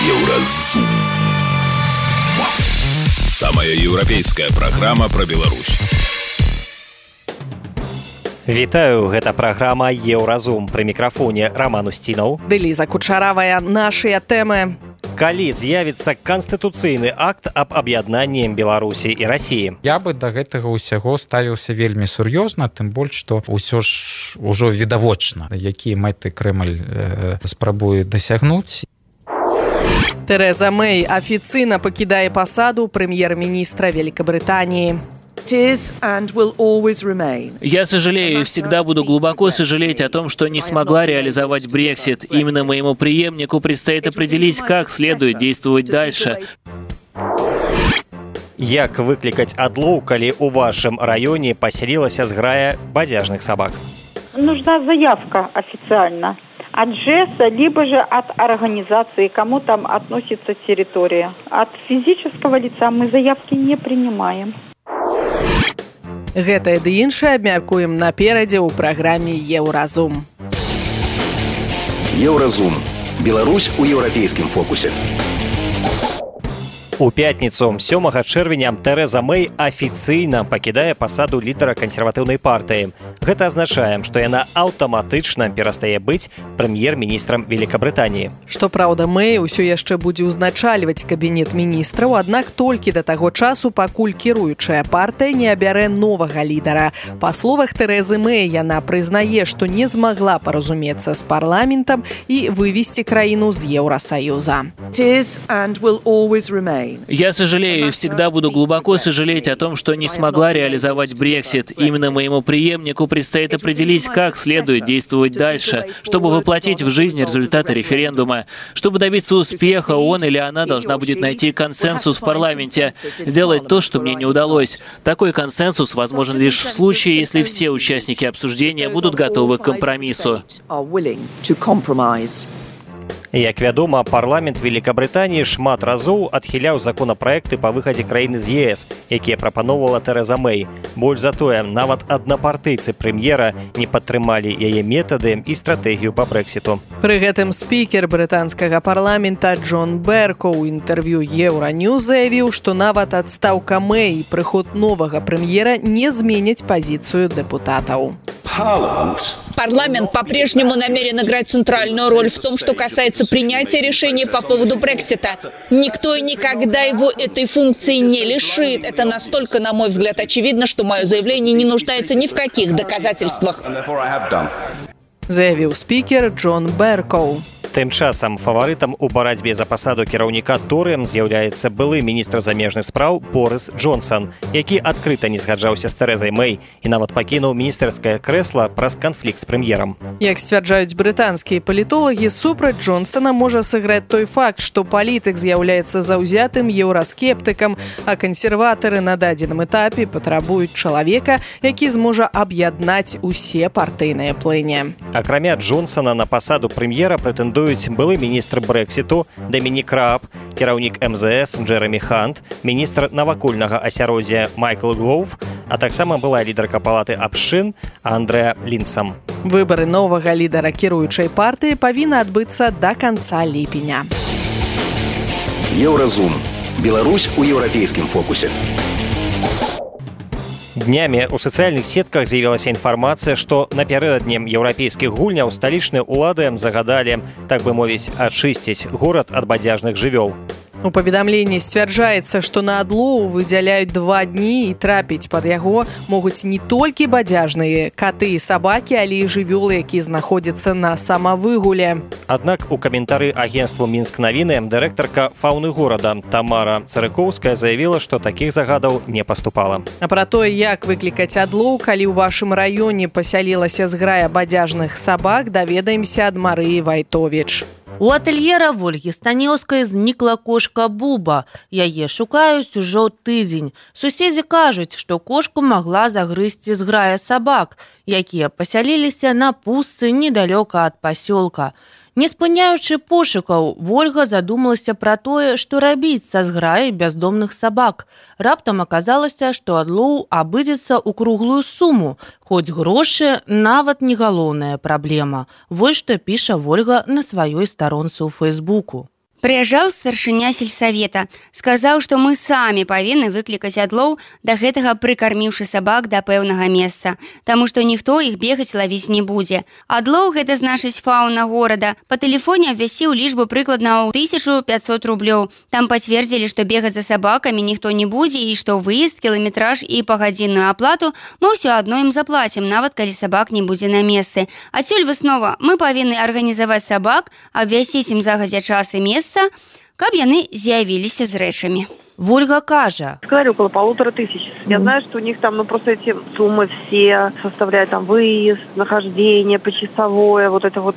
Еўразум. Самая еўрапейская праграма пра Беларусь. Вітаю, гэта праграма «Еўразум». Пры мікрафоне Роман Устінаў. Ліза Кучаравая. Нашыя тэмы. Калі з'явіцца канстытуцыйны акт аб аб'яднанні Беларусі і Расіі? Я бы да гэтага ўсяго ставіўся вельмі сур'ёзна, тым больш, што ўсё ж ужо відавочна, якія мэты Крэмль спрабуе дасягнуць. Тереза Мэй афіцыйна пакідае пасаду прэм'ер-міністра Великобритании. Я сожалею и всегда буду глубоко сожалеть о том, что не смогла реализовать Брексит. Именно моему преемнику предстоит определить, как следует действовать дальше. Як выклікаць адлоў, калі ў вашым раёне паселілася зграя бадзяжных собак? Нужна заявка официально от ЖЭСа, либо же от организации, кому там относится территория. От физического лица мы заявки не принимаем. Гэтае ды іншае абмяркуем наперадзе ў праграме «Еўразум». Еўразум. Беларусь у еўрапейскім фокусе. У пятніцу 7 чэрвеня Тереза Мэй афіцыйна пакідае пасаду лідара кансерватыўнай партыі. Гэта азначае, што яна аўтаматычна перастае быць прэм'ер-міністрам Великобритании. Што праўда, Мэй усё яшчэ будзе ўзначальваць кабінет міністраў, аднак толькі да таго часу, пакуль кіруючая партыя не абярэ новага лідара. Па словах Терезы Мэй, яна прызнае, што не змагла паразумецца з парламентам і вывесці краіну з Еўрасаюза. Я сожалею и всегда буду глубоко сожалеть о том, что не смогла реализовать Брексит. Именно моему преемнику предстоит определить, как следует действовать дальше, чтобы воплотить в жизнь результаты референдума. Чтобы добиться успеха, он или она должна будет найти консенсус в парламенте, сделать то, что мне не удалось. Такой консенсус возможен лишь в случае, если все участники обсуждения будут готовы к компромиссу. Як вядома, парламент Великобритании шмат разоў адхіляў законапраекты па выхадзе краіны з ЕС, якія прапаноўвала Тереза Мэй. Больш за тое, нават аднапартыйцы прэм'ера не падтрымалі яе метады і стратэгію па Брэксіту. Пры гэтым спікер брытанскага парламента Джон Берко ў інтэрв'ю Еўраньюз заявіў, што нават адстаўка Мэй і прыход новага прэм'ера не зменяць пазіцыю дэпутатаў. Парламент по-прежнему намерен играть центральную роль в том, что касается принятия решений по поводу Брексита. Никто и никогда его этой функции не лишит. Это настолько, на мой взгляд, очевидно, что мое заявление не нуждается ни в каких доказательствах. Заявіў спікер Джон Берко. Тым часам фаварытам у барацьбе за пасаду кіраўніка Торы з'яўляецца былы міністр замежных спраў Борыс Джонсон, які адкрыта не згаджаўся з Терезай Мэй і нават пакінуў міністэрскае крэсла праз канфлікт з прэм'ерам. Як сцвярджаюць брытанскія палітолагі, супраць Джонсона можа сыграць той факт, што палітык з'яўляецца заўзятым еўраскептыкам, а кансерватары на дадзеным этапе патрабуюць чалавека, які зможа аб'яднаць усе партыйныя плыні. Акрамя Джонсона на пасаду прэм'ера прэтэндуюць былы міністр Брэксіту Дамінік Рааб, кіраўнік МЗС Джэрамі Хант, міністр навакольнага асяроддзя Майкл Гоўф, а таксама была лідарка палаты абшчын Андрэа Лінсам. Выбары новага лідара кіруючай партыі павінны адбыцца да канца ліпеня. Еўразум. Беларусь у еўрапейскім фокусе. Днямі ў сацыяльных сетках з'явілася інфармацыя, што напярэдадні еўрапейскіх гульняў сталічныя ўлады загадалі, так бы мовіць, ачысціць горад ад бадзяжных жывёл. У паведамленні сцвярджаецца, што на адлоў выдзяляюць 2 дні і трапіць пад яго могуць не толькі бадзяжныя каты і сабакі, але і жывёлы, якія знаходзяцца на самавыгуле. Аднак у каментары агенству Мінск-навіны дырэктарка фаўны горада Тамара Царыкоўская заявіла, што такіх загадаў не паступала. А пра тое, як выклікаць адлоў, калі ў вашым раёне пасялілася зграя бадзяжных сабак, даведаемся ад Марыі Вайтовіч. У атэльера Вольгі Станеўскай знікла кошка Буба. Яе шукаюць ужо тыдзень. Суседзі кажуць, што кошку магла загрызці зграя сабак, якія пасяліліся на пустцы недалёка ад пасёлка. Не спыняючы пошукаў, Вольга задумалася пра тое, што рабіць са зграяй бяздомных сабак. Раптам аказалася, што адлоў абыдзецца ў круглую суму, хоць грошы нават не галоўная праблема. Вось што піша Вольга на сваёй старонцы ў Фэйсбуку. Прыязджаў старшыня сельсавета, сказаў, што мы самі павінны выклікаць адлоў, да гэтага прыкарміўшы сабак да пэўнага месца, таму што ніхто іх бегаць лавіць не будзе. Адлоў гэта значыць фауна горада. Па тэлефоне абвясціў лічбу прыкладна ў 1500 рублёў. Там пацвердзілі, што бегаць за сабакамі ніхто не будзе і што выезд, кіламетраж і пагадзінную аплату мы ўсё адно ім заплацім, нават калі сабак не будзе на месцы. Адсюль выснова, мы павінны арганізаваць сабак, абвясціць ім загадзя час і месца, каб яны з'явіліся з рэчамі. Вольга кажа. Сказали около 1500. Я знаю, что у них там, просто эти суммы все составляют там выезд, нахождение, почасовое, вот это вот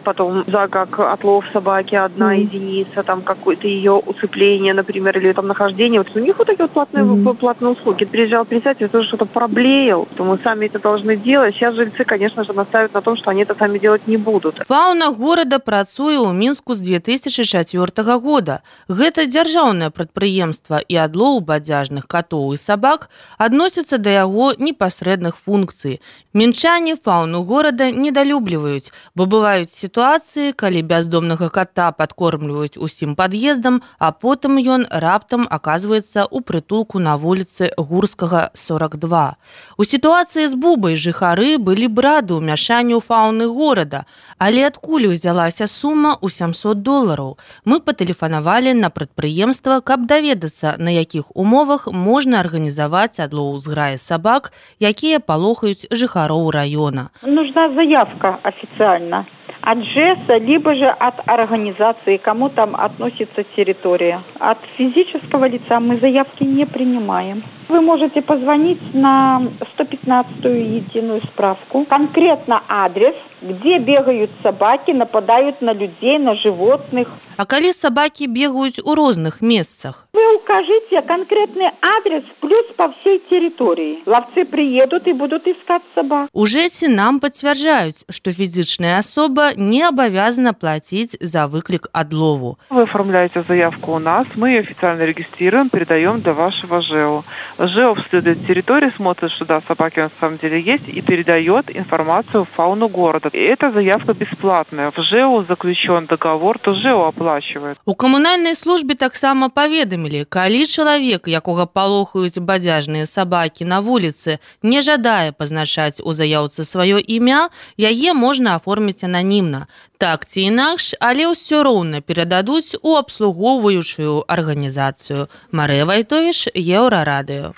потом за как отлов собаки, одна единица, там какое-то ее усыпление, например, или там нахождение. Вот у них вот такие вот платные услуги. Приезжал председатель, тоже что-то проблеял, что мы сами это должны делать. Сейчас жильцы, конечно же, настаивают на том, что они это сами делать не будут. Фауна горада працуе ў Мінску з 2004 года. Гэта дзяржаўнае прадпрыемства, і адлоў бадзяжных катоў і сабак адносяцца да яго непасрэдных функцый. Мінчане фауну горада недалюбліваюць, бо бываюць сітуацыі, калі бяздомнага кота падкормліваюць усім пад'ездам, а потым ён раптам аказваецца ў прытулку на вуліцы Гурскага, 42. У сітуацыі з Бубай жыхары былі б рады ўмяшанню фауны горада, але адкуль узялася сума ў $700? Мы патэлефанавалі на прадпрыемства, каб даведацца, на якіх умовах можна арганізаваць адлоў зграі сабак, якія палохаюць жыхароў района. Нужна заявка официально от ЖЭСа, либо же от организации, кому там относится территория. От физического лица мы заявки не принимаем. Вы можете позвонить на 115-ю единую справку. Конкретно адрес, где бегают собаки, нападают на людей, на животных. А калі собаки бегают у розных месцах? Вы укажите конкретный адрес плюс по всей территории. Ловцы приедут и будут искать собак. У ЖЭСе нам подтверждают, что физичная особа не обязана платить за выклик адлову. Вы оформляете заявку у нас, мы ее официально регистрируем, передаем до вашего ЖЭО. ЖЭО обследует территорию, смотрит, что да, собаки на самом деле есть, и передает информацию в фауну города. И эта заявка бесплатная. В ЖЭО заключен договор, то ЖЭО оплачивает. У камунальнай службе таксама паведамілі, калі чалавек, якога палохаюць бадзяжныя сабакі на вуліцы, не жадае пазначаць у заяўцы сваё імя, яе можна аформіць ананімна. Так ці інакш, але ўсё роўна перададуць у абслугоўваючую арганізацыю. Марыя Вайтовіч, Еўрарадыё.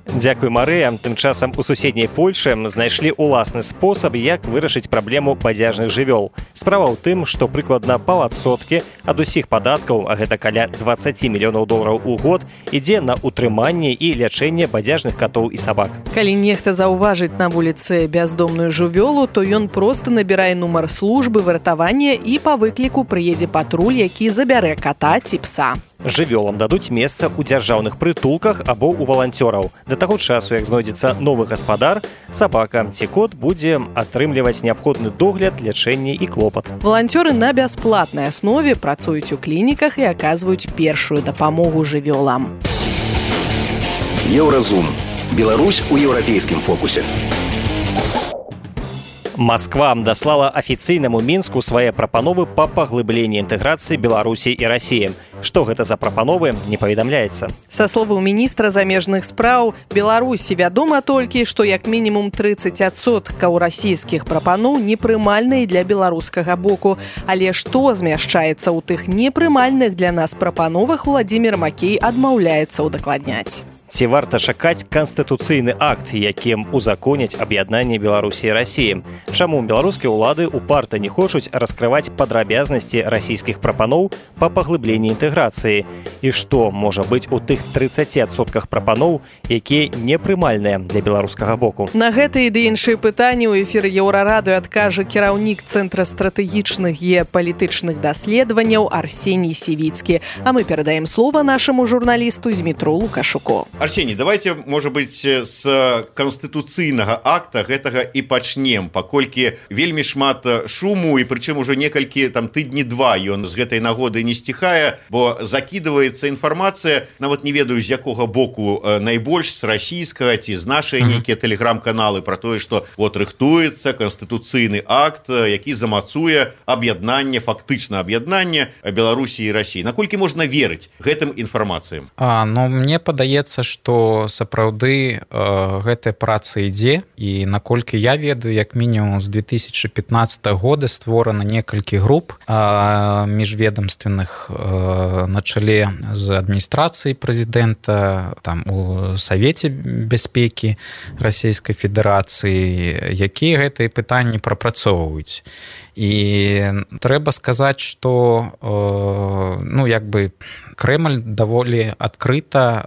Дзякуй, Марыя. Тым часам у суседняй Польшы знайшлі уласны спосаб, як вырашыць праблему бадзяжных жывёл. Справа ў тым, што прыкладна паўадсоткі ад усіх падаткаў, а гэта каля $20 мільёнаў у год, ідзе на утрыманне і лячэнне бадзяжных катоў і сабак. Калі нехта заўважыць на вуліцы бяздомную жывёлу, то ён проста набірае нумар службы выратавання і па выкліку прыедзе патруль, які забярэ ката ці пса. Жывёлам дадуць месца ў дзяржаўных прытулках або ў валанцёраў. Да таго часу, як знойдзецца новы гаспадар, сабака ці кот будзе атрымліваць неабходны догляд, лячэнне і клопат. Валанцёры на бясплатнай аснове працуюць у клініках і аказваюць першую дапамогу жывёлам. Еўразум. Беларусь у еўрапейскім фокусе. Москва даслала афіцыйнаму Мінску свае прапановы па паглыбленні інтэграцыі Беларусі і Расіі. Што гэта за прапановы, не паведамляецца. Са словаў міністра замежных спраў Беларусі вядома толькі, што як мінімум 30% расійскіх прапаноў непрымальныя для беларускага боку. Але што змяшчаецца ў тых непрымальных для нас прапановах, Владзімір Макей адмаўляецца ўдакладняць. Ці варта чакаць канстытуцыйны акт, якім узаконяць аб'яднанне Беларусі і Расіі? Чаму беларускія ўлады упарта не хочуць раскрываць падрабязнасці расійскіх прапаноў па паглыбленні інтэграцыі? І што можа быць у тых 30% прапаноў, якія непрымальныя для беларускага боку? На гэтыя ды іншыя пытанні ў эфіры Еўрарадыё адкажа кіраўнік Цэнтра стратэгічных геапалітычных даследаванняў Арсеній Сівіцкі. А мы перадаем слова нашаму журналісту Змітру Лукашуку. Арсений, давайте, может быть, с конституцыйнага акта гэтага і пачнем, паколькі вельмі шмат шуму, і прычым ужо некалькі там тыдні два ён з гэтай нагоды не сціхае, бо закідваецца інфармацыя, нават не ведаю, з якога боку найбольш, з расійскага ці з нашай нейкія тэлеграм-каналы, пра тое, што вот рыхтуецца канстытуцыйны акт, які замацуе аб'яднанне, фактычна аб'яднанне Беларусі і Расіі. Наколькі можна верыць гэтым інфармацыям? Ну, мне падаецца, што сапраўды гэтая праца ідзе, і наколькі я ведаю, як мінімум з 2015 года створана некалькі груп міжведамственных на чале з адміністрацыяй прэзідэнта, там у Савеце бяспекі Расійскай Федэрацыі, якія гэтыя пытанні прапрацоўваюць. І трэба сказаць, што Крэмль даволі адкрыта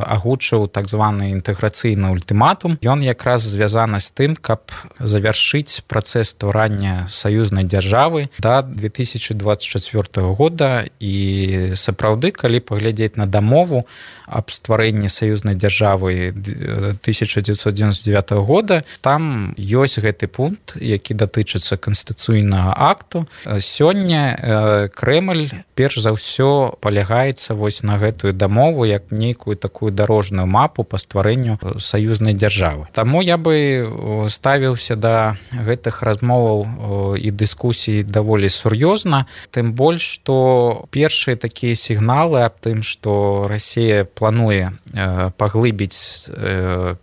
агучыў так званы інтэграцыйны ультыматум. Ён якраз звязаны з тым, каб завяршыць працэс стварання саюзнай дзяржавы да 2024 года. І сапраўды, калі паглядзець на дамову аб стварэнні саюзнай дзяржавы 1999 года, там ёсць гэты пункт, які датычыцца канстытуцыйнага акту. Сёння Крэмль перш за ўсё палягаецца вось на гэтую дамову як нейкую такую дарожную мапу па стварэнню саюзнай дзяржавы. Таму я бы ставіўся да гэтых размоваў і дыскусій даволі сур'ёзна, тым больш, што першыя такія сігналы аб тым, што Расія плануе паглыбіць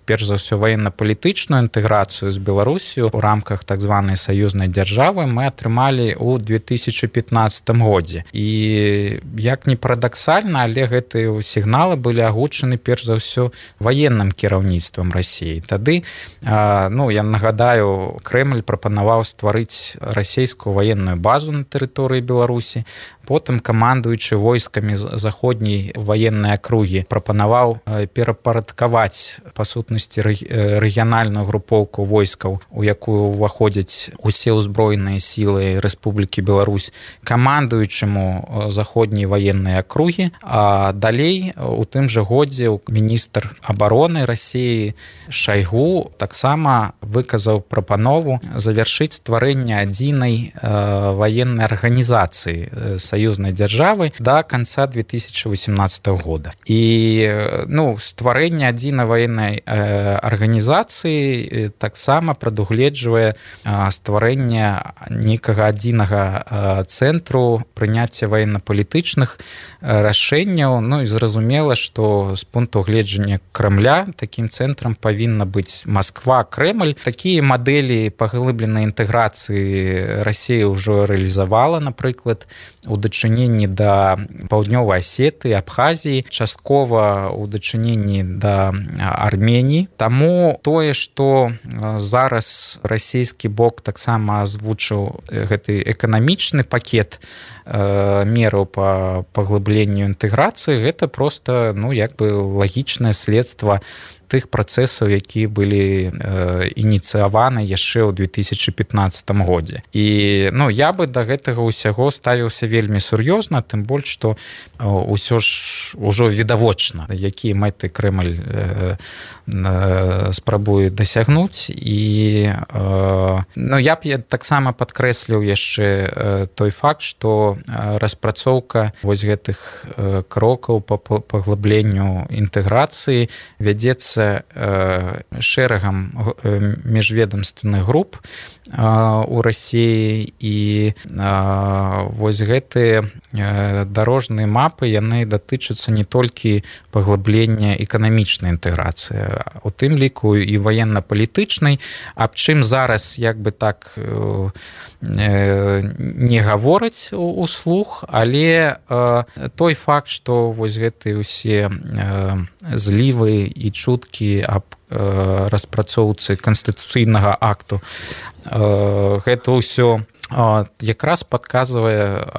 перш за ўсё ваенна-палітычную інтэграцыю з Беларусію ў рамках так званай саюзнай дзяржавы мы атрымалі ў 2015 годзе. І як не парадаксальна, але гэтыя сігналы былі агучаны перш за ўсё ваенным кіраўніцтвам Расіі. Тады, я нагадаю, Крэмль прапанаваў стварыць расійскую ваенную базу на тэрыторыі Беларусі. Потым камандуючы войскамі заходняй ваеннай акругі прапанаваў перапарадкаваць па сутнасці рэгіянальную групоўку войскаў, у якую ўваходзяць усе ўзброеныя сілы Рэспублікі Беларусь, камандуючаму заходняй ваеннай акругі. А далей у тым жа годзе міністр абароны Расіі Шайгу таксама выказаў прапанову завяршыць стварэнне адзінай ваеннай арганізацыі саюзнай дзяржавы да канца 2018 года. І стварэнне адзінай ваеннай арганізацыі таксама прадугледжвае стварэнне нейкага адзінага цэнтру прыняцця ваенна-палітычных рашэнняў. І зразумела, што з пункту гледжання Крэмля такім цэнтрам павінна быць Масква, Крэмль. Такія мадэлі паглыбленай інтэграцыі Расія ўжо рэалізавала, напрыклад, у дачыненні да Паўднёвай Асетыі, Абхазіі, часткова у дачыненні да Арменіі. Таму тое, што зараз расійскі бок таксама азвучыў гэты эканамічны пакет мераў па паглыбленню інтэграцыі, гэта проста лагічнае следства тых працэсаў, якія былі ініцыяваны яшчэ ў 2015 годзе. І я бы да гэтага ўсяго ставіўся вельмі сур'ёзна, тым больш, што ўсё ж ужо відавочна, якія мэты Крэмль спрабуе дасягнуць. І я б таксама падкрэсліў яшчэ той факт, што распрацоўка вось гэтых крокаў па паглыбленню інтэграцыі вядзецца шэрагам міжведамственных груп у Расіі. І вось гэтыя дарожныя мапы, яны датычацца не толькі паглыблення эканамічнай інтэграцыі, у тым ліку і ваенна-палітычнай, аб чым зараз так не гавораць услух, але той факт, што вось гэтыя ўсе злівы і чуткі аб распрацоўцы канстытуцыйнага акту, гэта ўсё якраз падказвае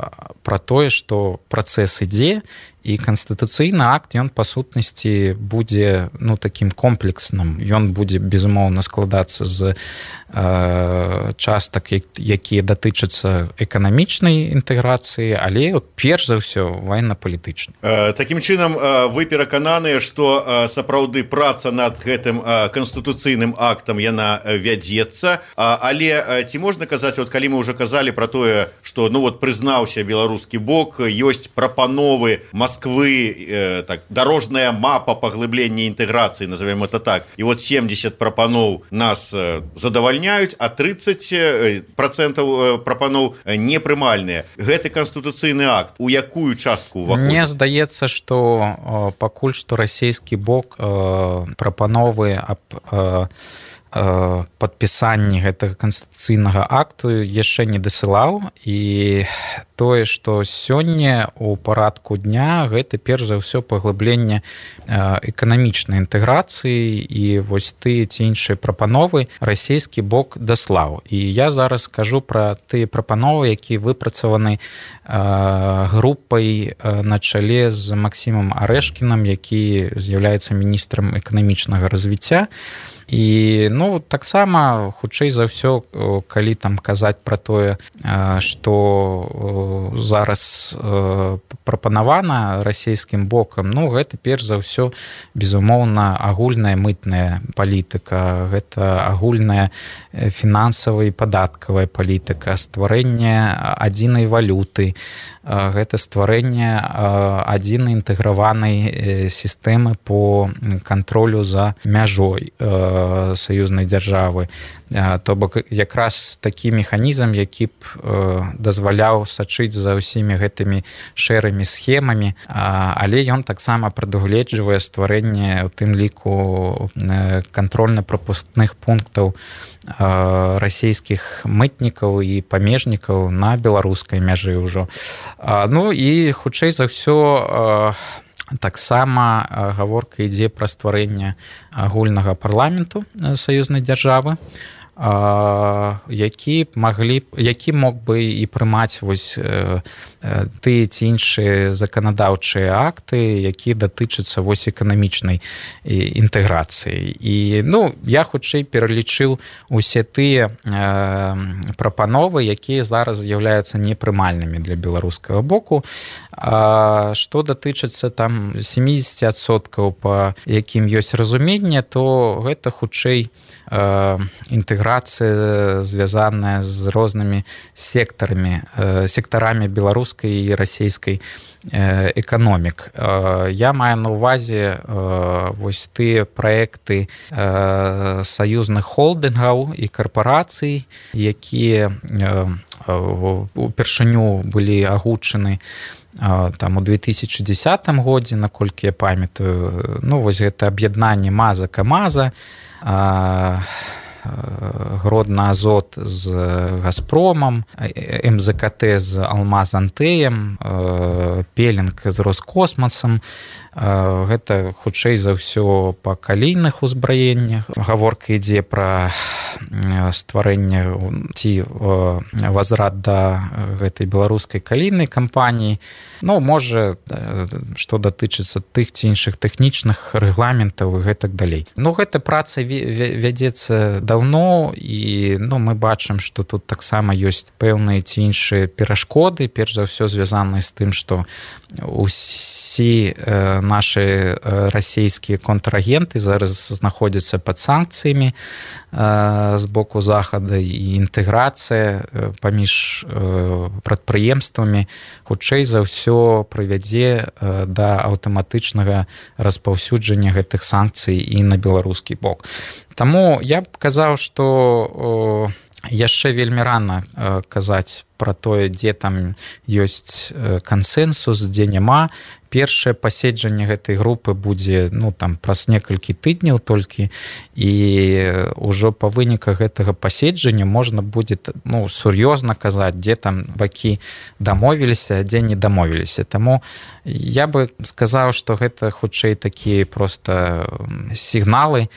пра тое, што працэс ідзе і канстытуцыйны акт ён па сутнасці будзе такім комплексным, ён будзе безумоўна складацца з частак, якія датычацца эканамічнай інтэграцыі, але перш за ўсё военно-палітычна. Такім чынам вы перакананыя, што сапраўды праца над гэтым канстытуцыйным актам яна вядзецца, але ці можна казаць, калі мы ўжо казалі пра тое, што прызнаўся беларускі бок, ёсць прапановы Москвы, дорожная мапа паглыблення інтэграцыі, назовем это так, і 70 прапаноў нас задавальняюць, а 30% прапаноў непрымальныя. Гэты канстытуцыйны акт у якую частку ўваходзіць? Мне здаецца, што пакуль што расійскі бок прапановы аб падпісанні гэтага канстытуцыйнага акту яшчэ не дасылаў, і тое, што сёння у парадку дня, гэта перш за ўсё паглыбленне эканамічнай інтэграцыі, і вось тыя ці іншыя прапановы расійскі бок даслаў. І я зараз кажу пра тыя прапановы, якія выпрацаваны групай на чале з Максімам Арэшкінам, які з'яўляецца міністрам эканамічнага развіцця. І таксама хутчэй за ўсё, калі там казаць пра тое, што зараз прапанавана расійскім бокам, гэта перш за ўсё безумоўна агульная мытная палітыка, гэта агульная фінансавая і падаткавая палітыка, стварэнне адзінай валюты, гэта стварэнне адзінай інтэграванай сістэмы по кантролю за мяжой саюзнай дзяржавы. То бок якраз такі механізм, які б дазваляў сачыць за ўсімі гэтымі шэрымі схемамі, але ён таксама прадугледжвае стварэнне у тым ліку кантрольна-прапускных пунктаў расійскіх мытнікаў і памежнікаў на беларускай мяжы ўжо. І хутчэй за ўсё таксама гаворка ідзе пра стварэнне агульнага парламенту саюзнай дзяржавы, які мог бы і прымаць вось тыя ці іншыя заканадаўчыя акты, якія датычацца вось эканамічнай інтэграцыі. І я хутчэй пералічыў усе тыя прапановы, якія зараз з'яўляюцца непрымальнымі для беларускага боку. Што датычыцца там 70%, па якім ёсць разуменне, то гэта хутчэй інтэграцыя, звязаная з рознымі сектарамі беларускай і расійскай эканомік. Я маю на ўвазе вось тыя праекты саюзных холдынгаў і карпарацый, якія упершыню былі агучаны там у 2010 годзе, наколькі я памятаю. Вось гэта аб'яднанне МАЗа-КамАЗа, Гродна-Азот з Газпромам, МЗКТ з Алмаз-Антеем, Пелінг з Роскосмасам. Гэта хутчэй за ўсё па калійных узбраеннях. Гаворка ідзе пра стварэнне ці возврат да гэтай беларускай калійнай кампаніі. Можа, што датычыцца тых ці іншых тэхнічных рэгламентаў і гэтак далей. Гэта праца вядзецца даўно, і мы бачым, што тут таксама ёсць пэўныя ці іншыя перашкоды, перш за ўсё звязаныя з тым, што усе нашы расійскія контрагенты зараз знаходзяцца пад санкцыямі з боку захада, і інтэграцыя паміж прадпрыемствамі хутчэй за ўсё прывядзе да аўтаматычнага распаўсюджання гэтых санкцый і на беларускі бок. Таму я б казаў, што яшчэ вельмі рана казаць пра тое, дзе там ёсць кансэнсус, дзе няма. Першае паседжанне гэтай групы будзе праз некалькі тыдняў толькі, і ўжо па выніках гэтага паседжання можна будзе сур'ёзна казаць, дзе там бакі дамовіліся, а дзе не дамовіліся. Таму я бы сказаў, што гэта хутчэй такія проста сігналы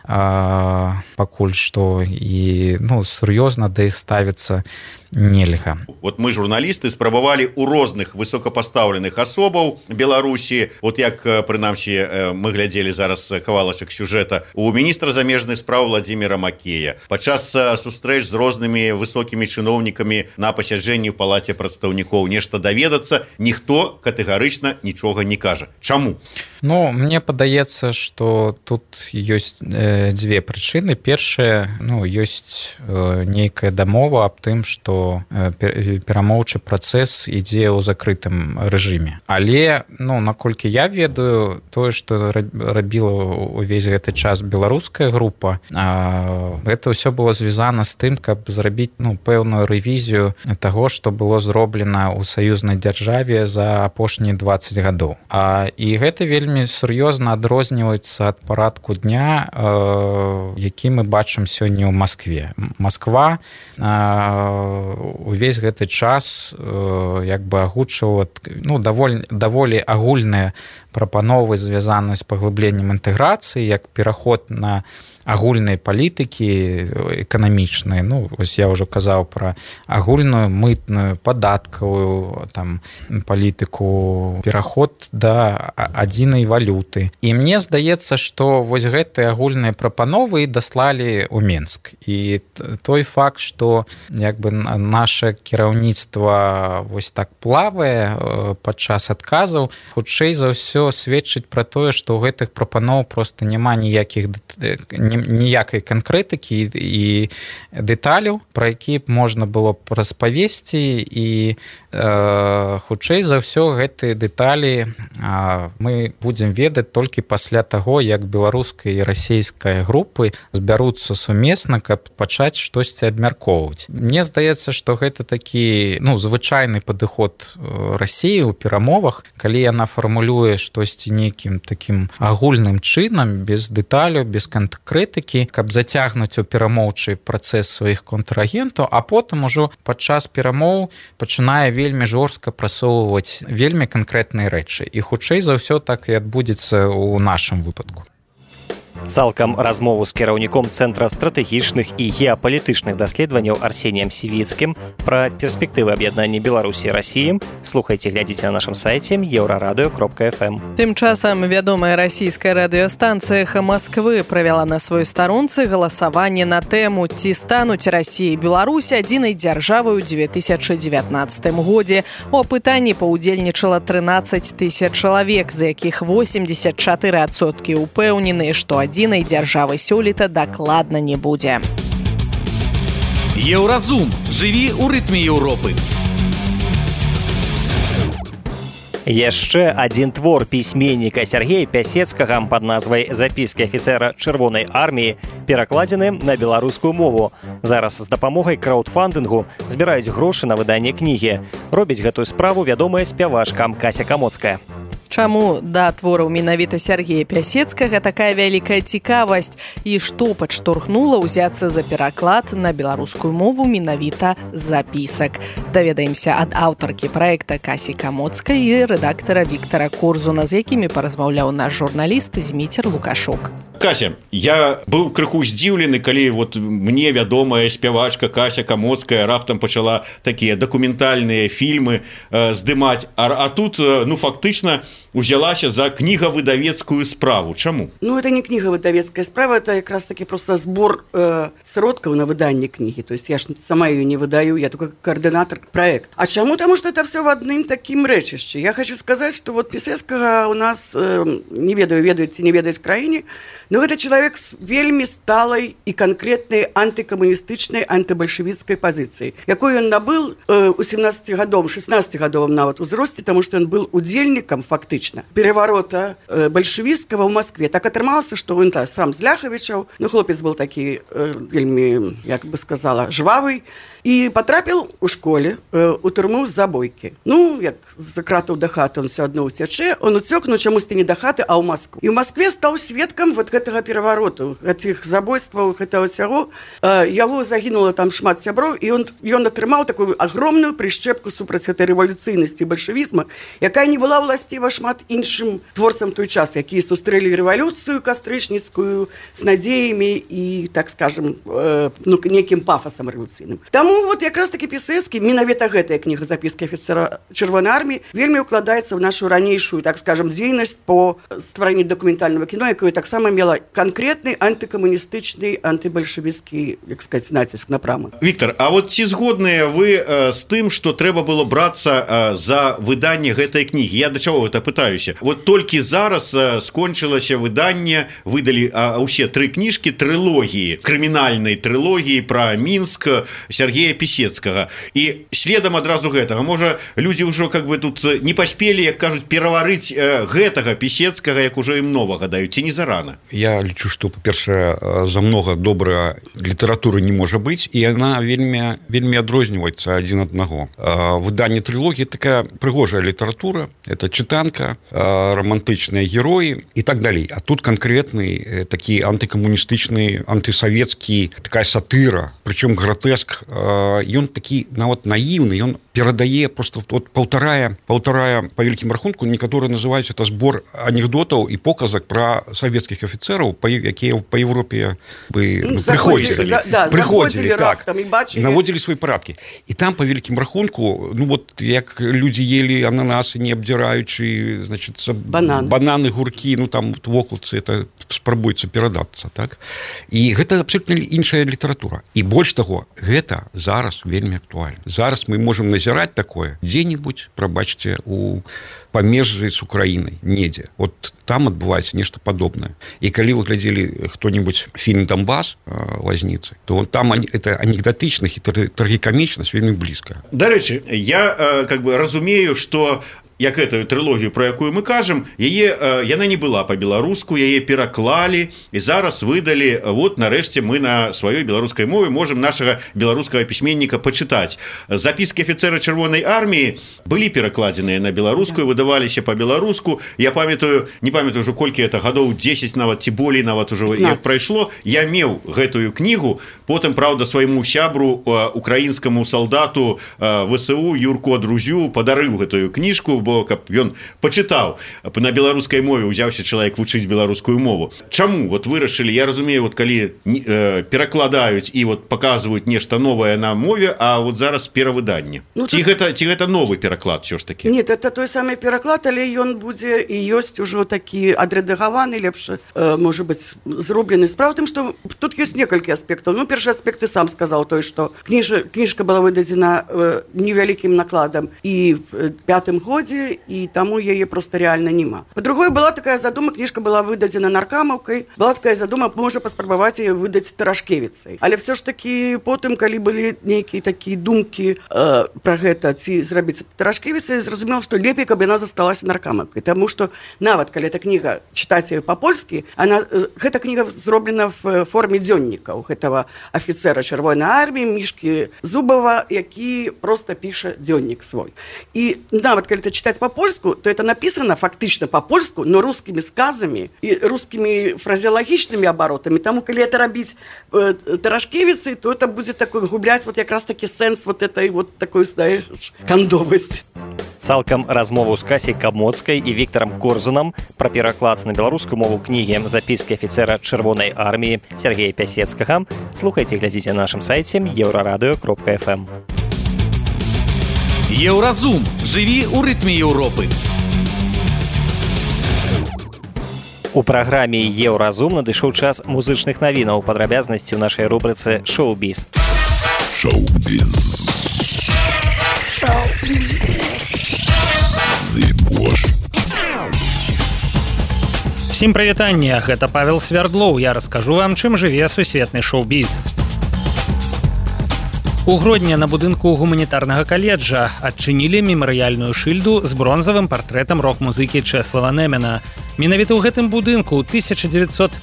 пакуль што, і сур'ёзна да іх ставіцца нельга. Вот мы журналісты спрабавалі ў розных высокапастаўленых асобаў Беларусі, вот як прынамсі мы глядзелі зараз кавалачак сюжэта у міністра замежных спраў Владимира Макея падчас сустрэч з рознымі высокімі чыноўнікамі на пасяджэнні ў палаце прадстаўнікоў нешта даведацца, ніхто катэгарычна нічога не кажа. Чаму? Ну, мне падаецца, што тут ёсць дзве прычыны. Першае, ёсць нейкая дамова аб тым, што перамоўчы працэс ідзе ў закрытым рэжыме. Але, наколькі я ведаю, тое, што рабіла ўвесь гэты час беларуская група, гэта ўсё было звязана з тым, каб зрабіць пэўную рэвізію таго, што было зроблена ў саюзнай дзяржаве за апошнія 20 гадоў. І гэта вельмі сур'ёзна адрозніваецца ад парадку дня, які мы бачым сёння ў Маскве. Масква увесь гэты час агучвала даволі агульныя прапановы, звязаныя з паглыбленнем інтэграцыі, як пераход на агульнай палітыкі эканамічнай. Вось я ўжо казаў пра агульную мытную, падаткавую палітыку, пераход да адзінай валюты. І мне здаецца, што вось гэтыя агульныя прапановы даслалі ў Менск. І той факт, што наше кіраўніцтва вось так плавае падчас адказаў, хутчэй за ўсё сведчыць пра тое, што ў гэтых прапаноў проста няма ніякай канкрэтыкі і дэталяў, пра які б можна было б распавесці, і хутчэй за ўсё гэтыя дэталі мы будзем ведаць толькі пасля таго, як беларуская і расійская групы збяруцца сумесна, каб пачаць штосьці абмяркоўваць. Мне здаецца, што гэта такі звычайны падыход Расіі ў перамовах, калі яна фармулюе штосьці нейкім такім агульным чынам, без дэталяў, без канкрэтыкі, каб зацягнуць у перамоўчы працэс сваіх контрагентаў, а потым ужо падчас перамоў пачынае вельмі жорстка прасоўваць вельмі канкрэтныя рэчы. І хутчэй за ўсё так і адбудзецца ў нашым выпадку. Цалкам размову з кіраўніком Цэнтра стратэгічных і геапалітычных даследаванняў Арсеніем Сівіцкім пра перспектывы аб'яднання Беларусі і Расіі слухайце, глядзіце на нашым сайце еўрарадыё.фм. Тым часам вядомая расійская радыёстанцыя «Эхо Москвы» правяла на сваёй старонцы галасаванне на тэму, ці стануць Расія і Беларусь адзінай дзяржавай у 2019 годзе. У апытанні паўдзельнічала 13 000 чалавек, з якіх 84% упэўненыя, што адзінай дзяржавы сёлета дакладна не будзе. Еўразум. Жыві ў рытме Еўропы. Яшчэ адзін твор пісьменніка Сергея Пясецкага пад назвай «Запіскі афіцэра Чырвонай арміі» перакладзены на беларускую мову. Зараз з дапамогай краўдфандынгу збіраюць грошы на выданне кнігі. Робіць гэтую справу вядомая спявачка Кася Камоцкая. Чаму да твораў менавіта Сергея Пясецкага такая вялікая цікавасць і што падштурхнула ўзяцца за пераклад на беларускую мову менавіта запісак? Даведаемся ад аўтаркі праекта Касі Камоцкай і рэдактара Віктара Корзуна, з якімі паразмаўляў наш журналіст Зміцер Лукашук. Кася, я быў крыху здзіўлены, калі мне вядомая спявачка Кася Камоцкая раптам пачала такія дакументальныя фільмы здымаць, а тут, фактычна, узялася за книгавыдавецкую справу. Чаму? Это не книгавыдавецкая справа, это как раз таки просто сбор сродков на выданне книги. То есть я ж сама ее не выдаю, я только координатор проекта. А чему? Потому что это все в одном таким рэчышчы. Я хочу сказать, что Пісецкага у нас, не ведаю, ведаеце, не ведаюць краіне, но это человек с вельмі сталой и конкретной антикоммунистычной, антибольшевистской позицией, якую он набыл у 16-гадовым нават узросце, потому что он был удзельником фактично переворота большевистского в Москве. Так атрымалася, что он сам з Ляхавічаў, хлопец был такі вельмі, як бы сказала, жвавый, и потрапил у школе у турму з забойки. Як з кратаў да хаты он все одно уцячэ, он уцёк, чамусьці не да хаты, а ў Москву. І ў Москве стаў сведкам гэтага перавароту, гэтых забойстваў, гэтага ўсяго. Яго загінула там шмат сяброў, і ён атрымаў такую агромную прышчэпку супраць гэтай рэвалюцыйнасці бальшавізма, якая не была ўласціва шмат шмат іншым творцам той час, якія сустрэлі рэвалюцыю кастрычніцкую з надзеямі і, так скажем, некім пафасам рэвалюцыйным. Таму вот якраз такі Пісецкі, менавіта гэтая кніга «Запіскі афіцера Чырвонай арміі» вельмі укладаецца ў нашу ранейшую, так скажем, дзейнасць по стварэнню дакументальнага кіно, якое таксама мела канкрэтны антыкамуністычны, антыбальшавіцкі, як сказаць, націск напрамак. Віктор, а вот ці згодныя вы з тым, што трэба было брацца за выданне гэтай кнігі? Я да чаго гэта пытаюся? Вот толькі зараз скончылася выданне, выдалі ўсе 3 кніжкі трылогіі, крымінальнай трылогіі пра Мінск Сергея Пісецкага. І следам адразу гэтага, можа, людзі ўжо как бы тут не паспелі, як кажуць, пераварыць гэтага Пісецкага, як ужо ім новага даюць, ці не зарана? Я лічу, што, па-першае, за многа добра літаратуры не можа быць, і яна вельмі адрозніваецца адзін аднаго. Выданне трылогіі такая прыгожая літаратура, это чытанка, романтычныя героі і так далей. А тут канкрэтны такі антыкамуністычны, антысавецкі, такая сатыра, прычым гратэск. Ён такі нават наіўны, ён перадае просто вот паўтарая па вялікім рахунку, некаторыя называюць это збор анекдотаў і показак пра савецкіх афіцэраў, якія па Европе прыходзілі, так, наводзілі свае парадкі. І там па вялікім рахунку, ну вот як людзі елі ананасы, не абдзіраючы, значит, бананы, гуркі, ну там вокладцы, это спрабуецца перадацца, так? І гэта абсолютна іншая літаратура. І больш таго, гэта зараз вельмі актуальна. Зараз мы можам назіраць такое дзе-небудзь, прабачце, у памежжы з Украінай, недзе. Вот там адбываецца нешта падобнае. І калі вы глядзелі хто-небудзь фільм «Донбас» Лазніцы, то там это анекдотычных і трагікамічнасць вельмі блізка. Дарэчы, я как бы разумею, што як гэтую трылогію, про якую мы кажам, яна не была па-беларуску, яе пераклалі і зараз выдалі, вот нарэшце мы на сваёй беларускай мове можам нашага беларускага пісьменніка пачытаць. Запіскі афіцэра Чырвонай арміі былі перакладзеныя на беларускую, выдаваліся па-беларуску. Я памятаю, не памятаю ўжо колькі это гадоў 10 нават ці болей нават ужо як прайшло. Я меў гэтую кнігу, потым, правда, свайму сябру, украінскаму салдату ВСУ Юрку Адрузю падарыў гэтую кніжку, бо каб ён пачытаў на беларускай мове, узяўся чалавек вучыць беларускую мову. Чаму вот вырашылі? Я разумею, вот калі перакладаюць і вот паказваюць нешта новае на мове, а вот зараз перавыданне. Ці гэта новы пераклад ўсё ж такі? Нет, это той самы пераклад, але ён будзе і ёсць ужо такі адрэдагаваны, лепш, можа быць, зроблены. Справа ў тым, што тут ёсць некалькі аспектаў. Ну, першы аспект ты сам сказаў той, што кніжка была выдадзена невялікім накладам і в 5-м годзе, і таму яе просто реально няма. По-другое, была такая задума, кніжка была выдадзена наркамаўкай, была такая задума, можа паспрабаваць яе выдаць Тарашкевіцай. Але все ж таки потым, калі былі нейкія такія думкі пра гэта, ці зрабіць Тарашкевіцай, зразумела, што лепей, каб яна засталася наркамаўкай, таму што нават калі эта кніга чытаць яе па-польскі, гэта кніга зроблена в форме дзённікаў гэтага афіцэра Чырвонай арміі Мішкі Зубава, які просто піша дзённік свой. І нават калі читать по-польску, то это написано фактично по-польску, но русскими сказами и русскими фразеологичными оборотами. Тому, коли это робить Тарашкевицей, то это будет такой гублять вот как раз таки сенс вот этой вот такой, знаешь, кандовости. Цалкам размову з Касей Камоцкай і Віктарам Корзунам пра пераклад на беларускую мову кнігі «Запіскі афіцэра Чырвонай арміі» Сергея Пісецкага слухайце і глядзіце на нашым сайце euraradio.fm. Еўразум. Жыві ў рытме Еўропы. У праграме «Еўразум» надышоў час музычных навінаў, падрабязнасці ў нашай рубрыцы «Шоу-біз». Шоу-біз. Всім прывітанне, гэта Павел Свярдлоў. Я раскажу вам, чым жыве сусветны шоу-біз. У Гродні на будынку гуманітарнага каледжа адчынілі мемарыяльную шыльду з бронзавым партрэтам рок-музыкі Чэслава Немена. Менавіта ў гэтым будынку ў 1954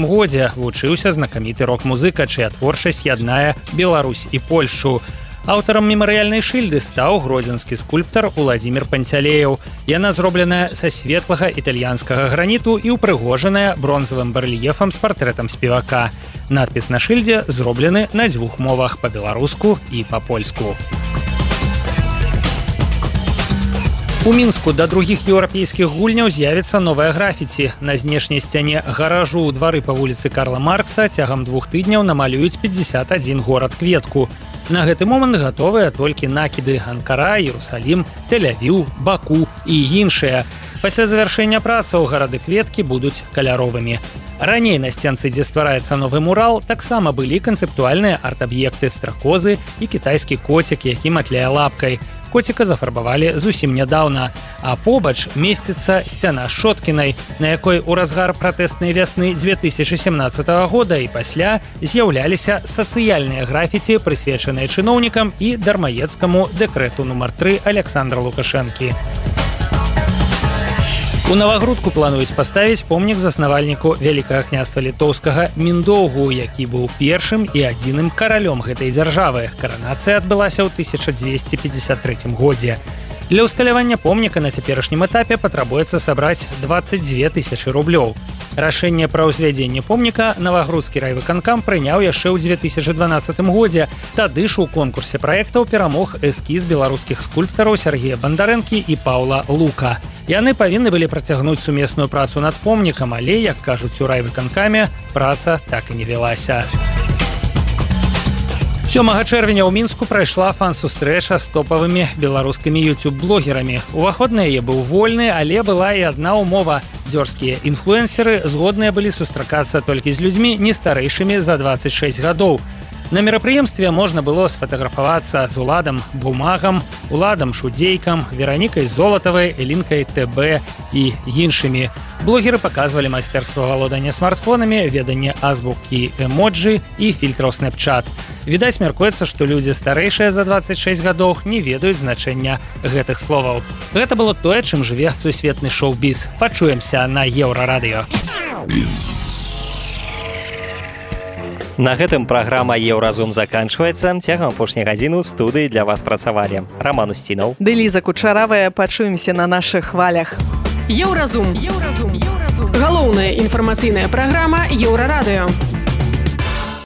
годзе вучыўся знакаміты рок-музыка, чыя творчасць яднае Беларусь і Польшчу. Аўтарам мемарыяльнай шыльды стаў гродзенскі скульптар Уладзімір Панцялеяў. Яна зробленая са светлага італьянскага граніту і ўпрыгожаная бронзавым барэльефам з партрэтам спевака. Надпіс на шыльдзе зроблены на 2 мовах, па-беларуску і па-польску. У Мінску да другіх еўрапейскіх гульняў з'явіцца новая графіці. На знешняй сцяне гаражу ў двары па вуліцы Карла Маркса цягам 2 тыдняў намалююць 51 горад-кветку. На гэты момант гатовыя толькі накіды Анкара, Іерусалім, Тель-Авіў, Баку і іншыя. Пасля завяршэння працаў гарады-кветкі будуць каляровымі. Раней на сценцы, дзе ствараецца новы мурал, таксама былі канцэптуальныя арт-аб'екты стракозы і кітайскі коцік, які матляе лапкай. Коціка зафарбавалі зусім нядаўна, а побач месціцца сцяна Шоткінай, на якой у разгар пратэстнай вясны 2017 года і пасля з'яўляліся сацыяльныя графіці, прысвечаныя чыноўнікам і дармаедскаму дэкрэту нумар 3 Александра Лукашэнкі. У Навагрудку плануюць паставіць помнік заснавальніку Вялікага княства літоўскага Міндоўгу, які быў першым і адзіным каралём гэтай дзяржавы. Каранацыя адбылася ў 1253 годзе. Для ўсталявання помніка на цяперашнім этапе патрабуецца сабраць 22 000 рублёў. Рашэнне пра ўзвядзенне помніка Навагрудскі райвыканкам прыняў яшчэ ў 2012 годзе. Тады ж у конкурсе праектаў перамог эскіз беларускіх скульптараў Сергея Бандарэнкі і Паўла Лука. Яны павінны былі працягнуць сумесную працу над помнікам, але, як кажуць у райвыканкаме, праца так і не вялася. 7 чэрвеня ў Мінску прайшла фан-сустрэча з топавымі беларускімі YouTube-блогерамі. Уваход на яе быў вольны, але была і адна ўмова. Дзёрзкія інфлюэнсеры згодныя былі сустракацца толькі з людзьмі не старэйшымі за 26 гадоў. На мерапрыемстве можна было сфотаграфавацца з Уладам Бумагам, Уладам Шудзейкам, Веранікай Золатавай, Элінкай ТБ і іншымі. Блогеры паказвалі майстэрства валодання смартфонамі, веданне азбукі эмоджы і фільтраў Snapchat. Відаць, мяркуецца, што людзі старэйшыя за 26 гадоў не ведаюць значэння гэтых словаў. Гэта было тое, чым жыве сусветны шоу-біз. Пачуемся на Еўрарадыё. На гэтым праграма «Еўразум» заканчваецца. Цягам апошняй гадзіны ў студыі для вас працавалі Роман Устінаў. Ды Ліза Кучаравая. Пачуемся на нашых хвалях. Еўразум. Галоўная інфармацыйная праграма Еўрарадыё.